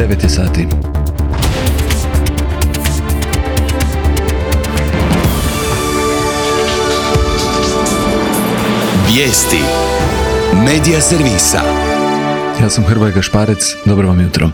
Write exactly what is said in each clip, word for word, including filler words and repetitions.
devet je sati. Vijesti Medija servisa. Ja sam Hrvoje Gašparec, dobro vam jutro.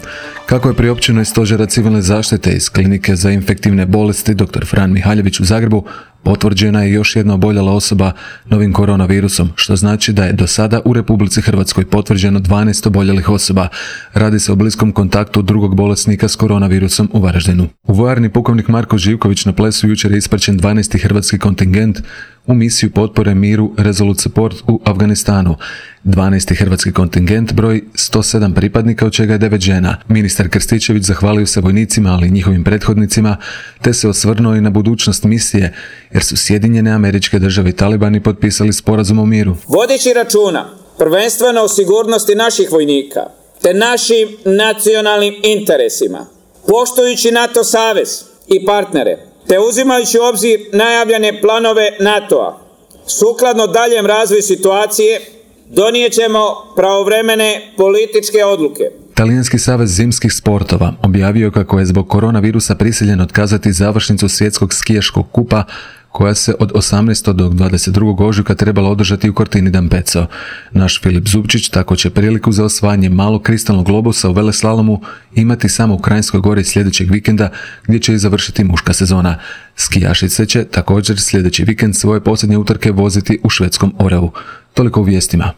Kako je priopćeno iz Stožera civilne zaštite iz Klinike za infektivne bolesti doktor Fran Mihaljević u Zagrebu, potvrđena je još jedna oboljela osoba novim koronavirusom, što znači da je do sada u Republici Hrvatskoj potvrđeno dvanaest oboljelih osoba. Radi se o bliskom kontaktu drugog bolesnika s koronavirusom u Varaždinu. U vojarni pukovnik Marko Živković na Plesu jučer je ispraćen dvanaesti hrvatski kontingent u misiju potpore miru Resolute Support u Afganistanu. dvanaesti hrvatski kontingent broji sto sedam pripadnika, od čega je devet žena. Ministar Krstičević zahvalio se vojnicima, ali i njihovim prethodnicima, te se osvrnuo i na budućnost misije, jer su Sjedinjene Američke Države i talibani potpisali sporazum o miru. Vodeći računa prvenstveno o sigurnosti naših vojnika te našim nacionalnim interesima, poštujući NATO savez i partnere, te uzimajući u obzir najavljene planove NATO-a, sukladno daljem razvoju situacije, donijet ćemo pravovremene političke odluke. Talijanski savez zimskih sportova objavio kako je zbog koronavirusa prisiljen otkazati završnicu svjetskog skijaškog kupa koja se od osamnaestog do dvadeset drugog ožujka trebala održati u Cortini d'Ampezzo. Naš Filip Zubčić tako će priliku za osvajanje malog kristalnog globusa u veleslalomu imati samo u Kranjskoj Gori sljedećeg vikenda, gdje će i završiti muška sezona. Skijašice će također sljedeći vikend svoje posljednje utrke voziti u švedskom Oreu. Toliko u vijestima.